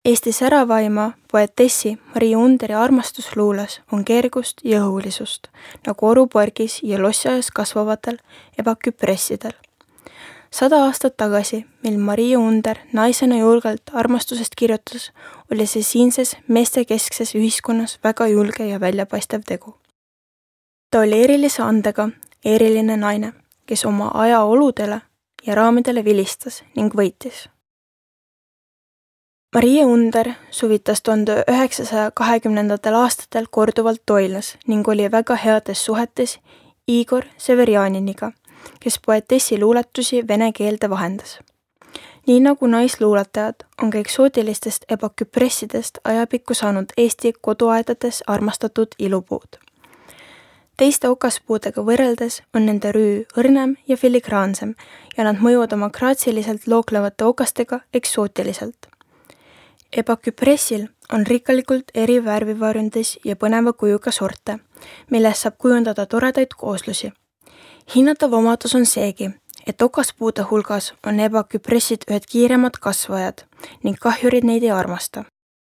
Eesti säravaima poetessi Maria Underi armastusluules on kergust ja õhulisust, nagu orupargis ja lossiajas kasvavatel ebaküpressidel. 100 aastat tagasi, mil Maria Under naisena julgelt armastusest kirjutas, oli see siinses meestekeskses ühiskonnas väga julge ja väljapaistev tegu. Ta oli erilise andega eriline naine, kes oma aja oludele ja raamidele vilistas ning võitis. Maria Under suvitas 1920. aastatel korduvalt Toilnas ning oli väga heades suhetes Igor Severjaniniga, kes poetessi luuletusi vene keelde vahendas. Nii nagu naisluuletajad on ka eksootilistest ebaküpressidest ajapikku saanud Eesti koduaedades armastatud ilupuud. Teiste okaspuudega võrreldes on nende rüü õrnem ja filigraansem ja nad mõjuvad oma graatsiliselt looklevate okastega eksootiliselt. Ebaküpressil on rikkalikult eri värvivarjundis ja põneva kujuga sorte, millest saab kujundada toredaid kooslusi. Hinnatav omadus on seegi, et okaspuude hulgas on ebaküpressid ühed kiiremad kasvajad ning kahjurid neid ei armasta.